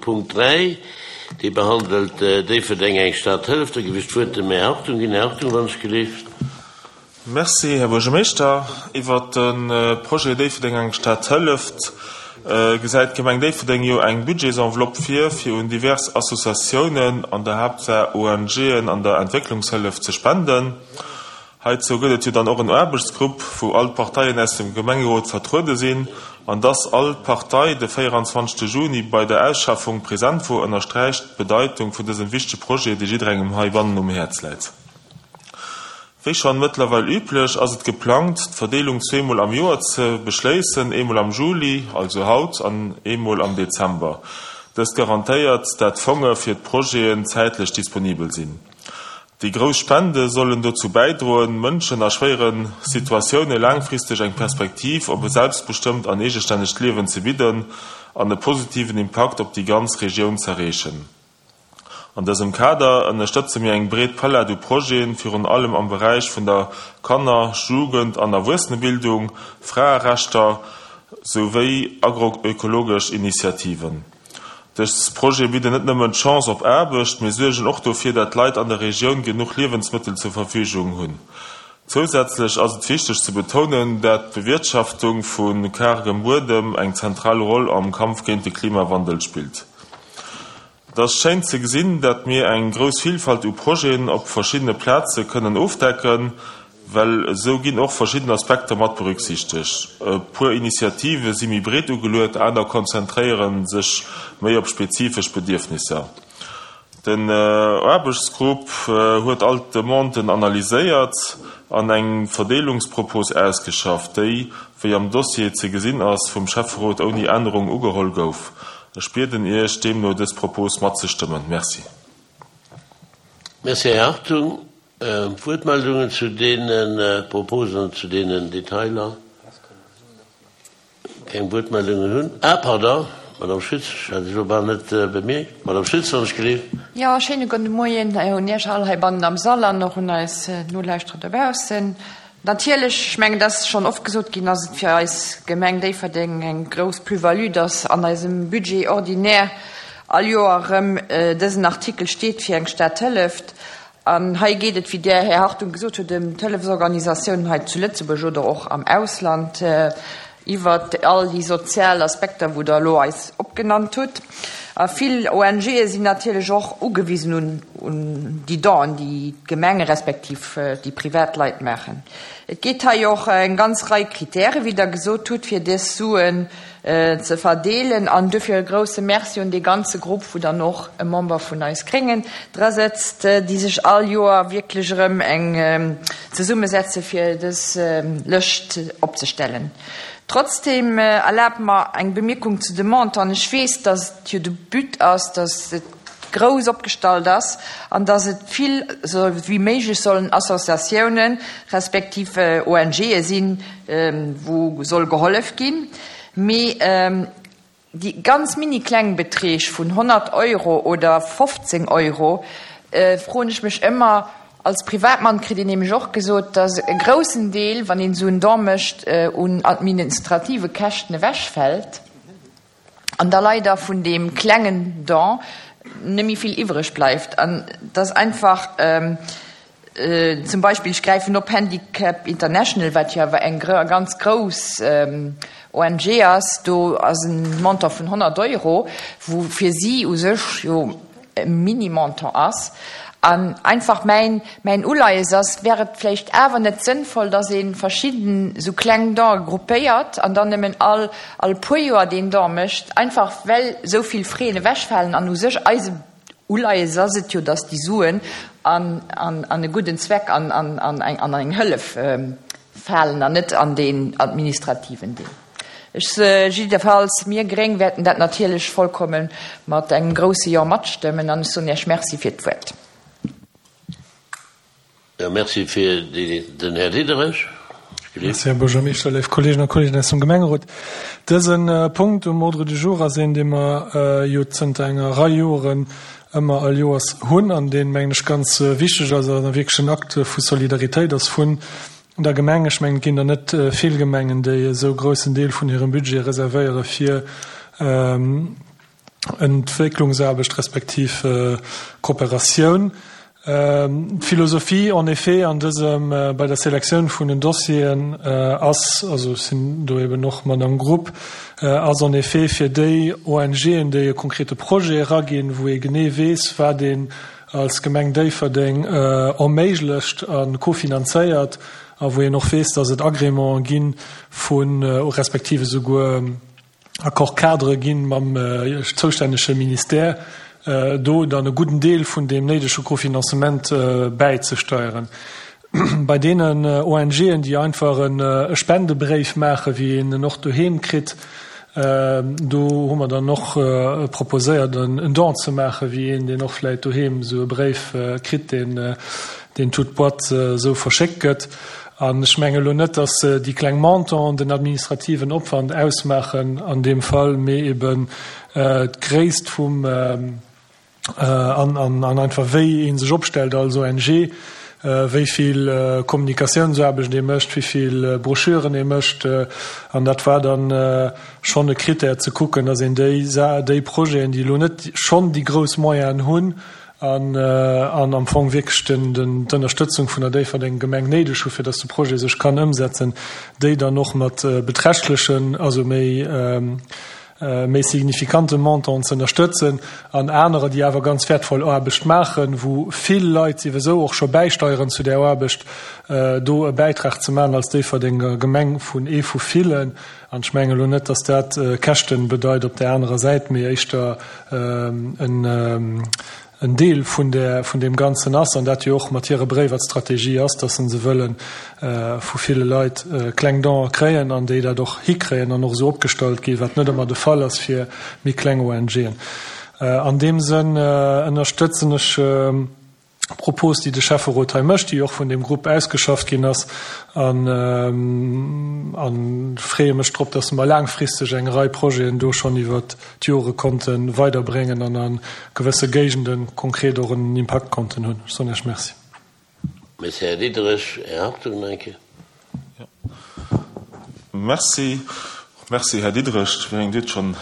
Punkt 3, dee behandelt Déifferdeng, eng Stad hëlleft. Da géif ech d'Wuert dem Här Hartung ginn. Här Hartung, wann ech gelift. Merci, Här Buergermeeschter. Iwwert de Projet Déifferdeng, eng Stad hëlleft gesäit d'Gemeng Déifferdeng jo eng Budgetsenveloppe vir, fir un divers Associatiounen, an der Haaptsaach ONGen an der Entwécklungshëllef ze spenden. Heizou gëtt et jo dann och en Aarbechtsgrupp, wou all d'Parteien aus dem Gemengerot vertruede sinn. An dass all Partei de 24 Juni bei der Ausschaffung present wor, ënnersträicht d'Bedeitung vun dësem wichtege Projet, dee jidderengem heibannen um Häerz läit. Wéi schonn mëttlerweil üblech, ass et geplangt, d'Verdeelung zweemol am Joer ze beschléissen, eemol am Juli, also haut, an eemol am Dezember. Dëst garantéiert, dat d'Fonge fir d'Projeten zäitlech disponibel sinn. Déi grouss Spende sollen dozou bäidroen, Mënschen a schwéiere Situatioune laangfristeg eng Perspektiv op e selbstbestëmmt an eegestännegt Liewen ze bidden an e positiven Impakt op déi ganz Regioun z'erreechen. An dësem Kader ënnerstëtze mir eng breet Palett u Projeten, virun allem am Beräich vun der Kanner-, Jugend an Erwuessenebildung, Fraerechter souwéi agroökologesch Initiativen. Dës Projete bidden net nëmmen d'Chance op Aarbecht, mee suergen och dofir, dat d'Leit an der Regioun genuch Liewensmëttel zur Verfügung hunn. Zousätzlech ass et wichteg ze betounen, dat d'Bewirtschaftung vu kargem Buedem eng zentral Roll am Kampf géint de Klimawandel spillt. Et ass schéin ze gesinn, dat mir eng grouss Vilfalt u Projeten op verschiddene Plaze kënnen ofdecken, Well esou ginn och verschidden Aspekter mat berücksichtegt. E puer Initiative si méi breet ugeluet, aner konzentréiere sech méi op spezifesch Bedierfnisser. Den Aarbechtsgrupp huet all d'Demanden analyséiert an eng Verdeelungspropos ausgeschafft, déi, wéi am Dossier ze gesinn ass, vum Schäfferot ouni Ännerung ugeholl gouf. Ech bieden Iech deemno dës Propos matzestëmmen. Merci. Merci, Här Hartung. Wuertmeldungen zu deene Proposen an zu deenen Detailer? Keng Wuertmeldungen hunn. Ah, pardon, Madame Schütz, ech hat Iech elo bal net bemierkt. Madame Schütz, wann ech gelift. Jo, schéine gudde Moien un Iech all heibannen am Sall an och un eis Nolauschterer dobaussen. Natierlech, ech mengen, dat ass schonn oft gesot ginn, ass et fir eis Gemeng Déifferdeng eng grouss Plus-value, dass an eisem Budget ordinaire all Joer erëm dësen Artikel steet fir eng Stad hëlleft. An hei geet et, wéi Der, Här Hartung, gesot hutt, ëm d'Hëllefsorganisatiounen hei zu Lëtzebuerg oder och am Ausland, iwwert all déi sozial Aspekter, wou Der elo eis opgenannt hutt. A vill ONGe sinn natierlech och ugewisen un déi Donen, déi d'Gemenge respektiv déi privat Leit maachen. Et geet hei och eng ganz Rei Kritäre, wéi Der gesot hutt, fir dës Suen ze verdeelen an duerfir e grouse Merci un dee ganze Grupp, wou dann och e Member vun eis Gréngen dra sëtzt, déi sech all Joer wierklech erëm eng zesummesetze fir dës Lëscht opzestellen. Trotzdem erlaabt mer eng Bemierkung zu de Montanten. Ech weess, dass et jo de But ass, dass et grouss opgestallt ass an dass et vill wéi méiglech sollen Associatiounen respektiv ONGe sinn, wou soll gehollef ginn, mee déi ganz mini kleng Beträg vun 100 Euro oder 15 Euro, froen ech mech ëmmer, als Privatmann kritt een nämlech och gesot, dass e groussen Deel, wann een esou en Don mécht, un administrative Käschten ewechfält an da leider vun deem klengen Don net méi vill iwwreg bleift an dass einfach, Zum Beispill, ech gräifen op Handicap International, wat jo awer eng ganz grouss ONG ass, do ass e Montant vun 100 Euro, wou fir si u sech jo e Mini-Montant ass. An einfach mäin, mäin Uleies ass, Wär et vläicht awer net sënnvoll, dass ee verschidden esou kleng Donë gruppéiert an dann nëmmen all, all puer Joer deen Don mécht, einfach well esou vill Frais ewechfalen an u sech eise Uleies ass et jo, datt déi Suen an e gudden Zweck an an eng Hëllef falen an net an deen administrativen Deel. Ech, jiddefalls mir Gréng wäerten dat natierlech vollkomme mat engem grousse Jo matstëmmen an ech soen Iech Merci fir d'Wuert. Jo, merci fir den Här Diderich. Merci, Här Buergermeeschter, léif Kolleegen a Kolleegen aus dem Gemengerot. Dëse Punkt um Ordre du jour ass een, dee mer jo zënter enger Rei Joren ëmmer all Joers hunn an deen, mengen ech, ganz wichteg ass a wierklech en Akt vu Solidaritéit ass vun der Gemeng. Ech mengen, et ginn der net vill Gemengen, déi esou groussen Deel vun hirem Budget reservéiere fir. Entwécklungsaarbecht respektiv Kooperatioun. D'Philosophie en effet an dësem, bei der Selektioun vun den Dossieren ass, also ech sinn do eben och mat am Grupp, ass en effet fir déi ONGen, déi e konkrete Projet eraginn, wou ee genee weess, wat een als Gemeng Déifferdeng erméiglecht a kofinanzéiert a wou een och weess, dass et Agrémenten gi vu respektiv esouguer Accord-cadre gi mam zoustännege Ministère, do dann e gudden Deel vun deem néidege Cofinancement bäizesteieren. Bei deenen ONGen, déi einfach e Spendebréif maachen, wéi een en och doheem kritt, do hu mer dann och proposéiert, en Don ze maachen, wéi een, deen och vläicht doheem esou e Bréif kritt, deen deen toute boîte esou verschéckt gëtt. An ech menge elo net, dass déi kleng Montanten den administrativen Opwand ausmaachen an deem Fall, mee eben d'Gréisst vum an an einfach wéi ee sech opstellt als ONG, wéi vill Kommunikatiounsaarbecht ee mécht, wéi vill Broschüren ee mécht. An dat war dann schonn e Krittär ze kucken, dass een déi déi Projeten, déi elo net schonn déi grouss Moyenen hunn, an am Fong wierklech d'Ënnerstëtzung vun der Déifferdenger Gemeng néideg hu fir datt de Projet sech kann ëmsetzen, déi dann och mat beträchtlechen, also méi méi signifikante Montanten ze ënnerstëtzen, an anerer, déi awer ganz wäertvoll Aarbecht maachen, wou vill Leit siwesou och scho bäisteieren zu där Aarbecht, do e Bäitrag ze maachen als Déifferdenger Gemeng vun ee vu villen. An ech mengen elo net, datt dat Käschten bedeit op där anerer Säit, mee éischter en Deel vun där, vun deem Ganzen ass, an dat jo och mat hire Bréiwer d'Strategie ass, datt se se wëlle vu ville Leit kleng Donen kréien an déi dat och hikréien an och esou opgestallt ginn, wat net ëmmer de Fall ass fir méi kleng ONGen. An deem Sënn ënnerstëtzen ech Propos, déi de Schäfferot hei mécht, déi och vun deem Grupp ausgeschafft ginn ass, an freeë mech drop, dass mer laangfristeg eng Rei Projeten do schonn iwwert d'Jore konnte weiderbréngen an a gewësse Géigende konkret och en Impakt konnten hunn. Ech soen Iech Merci. Merci, Här Diderich. Här Hartung nach eng Kéier. Merci. Merci, Här Diderich. Ech mengen, Dir hutt schonn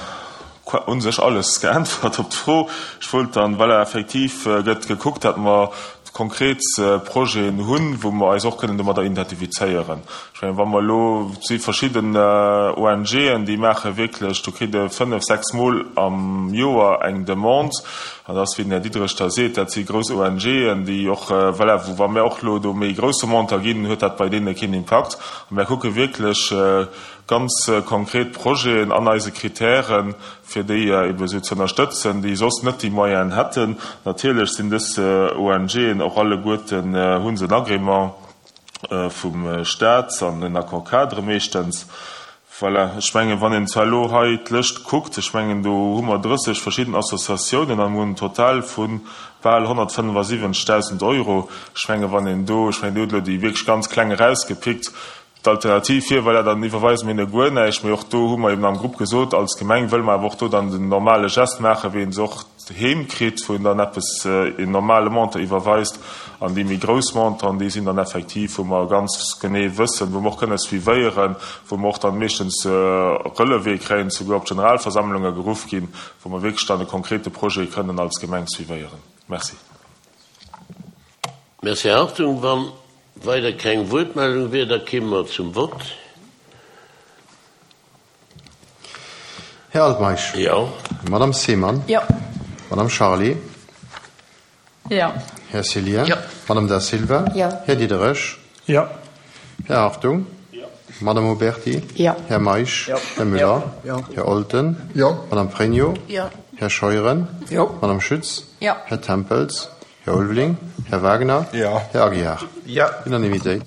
u sech alles geäntwert op d'Fro. Ech wollt dann, voilà, effektiv gëtt gekuckt, datt mer konkret Projeten hunn, wou mer eis och kënnen domadder identifizéieren. Ech mengen, wa mer elo, et si verschidden ONGen, déi maache wierklech, do kritt e fënnef, sechs Mol am Joer eng Demande. An dat ass, wéi den Här Diderich da seet, dat si grouss ONGen, déi och, voilà, wou wa mir och elo do méi grousse Montant ginn, huet dat bei deene keen Impakt. A mir kucke wierklech ganz konkret Projeten an eise Kritären, fir déi ebe esou ze ënnerstëtzen, déi soss net déi Moyenen hätten. Natierlech sinn dës ONGen och alleguerten, hu se en Agrément vum Stat an en Accord-cadre meeschtens. Voilà, ech mengen, wann een zwar elo hei d'Lëscht kuckt, ech mengen, do hu mer 30 verschidden Associatiounen an mer hunn en Total vu bal 175.000 Euro. Ech mengen, wann een do, ech mengen, Dir hutt elo déi wierklech ganz kleng erausgepickt, d'Alternativ wier, voilà, dann iwwerweise mir hinne guer näischt. Mee och do hu mer eben am Grupp gesot, als Gemeng wëlle mer awer och do dann den normale Geste maachen, wéi ee se och heem kritt, wou een dann eppes, een normale Montant iwwerweist, an déi méi grouss Montanten, déi sinn dann effektiv, wou mer ganz genee wëssen, wou mer och kënne suivéieren, wou mer och dann meeschtens Relevé kréien, souguer op d'Generalversammlunge geruff ginn, wou mer wierklech dann e konkrete Projet kënnen als Gemeng suivéieren. Merci. Merci, Här Hartung. Wa weider keng Wuertmeldung wier, da kéime mer zum Vott. Här Altmeisch. Jo. Madame Seemann. Jo. Madame Charlé. Jo. Här Cillien. Jo. Madame Da Silva. Jo. Här Diderich. Jo. Här Hartung. Jo. Madame Oberti. Jo. Här Meisch. Jo. Här Müller. Jo. Här Olten. Jo. Madame Pregno. Jo. Här Scheuren. Jo. Madame Schütz. Jo. Här Tempels. Här Ulveling. Här Wagner. Jo. Här Aguiar. Jo. Unanimitéit.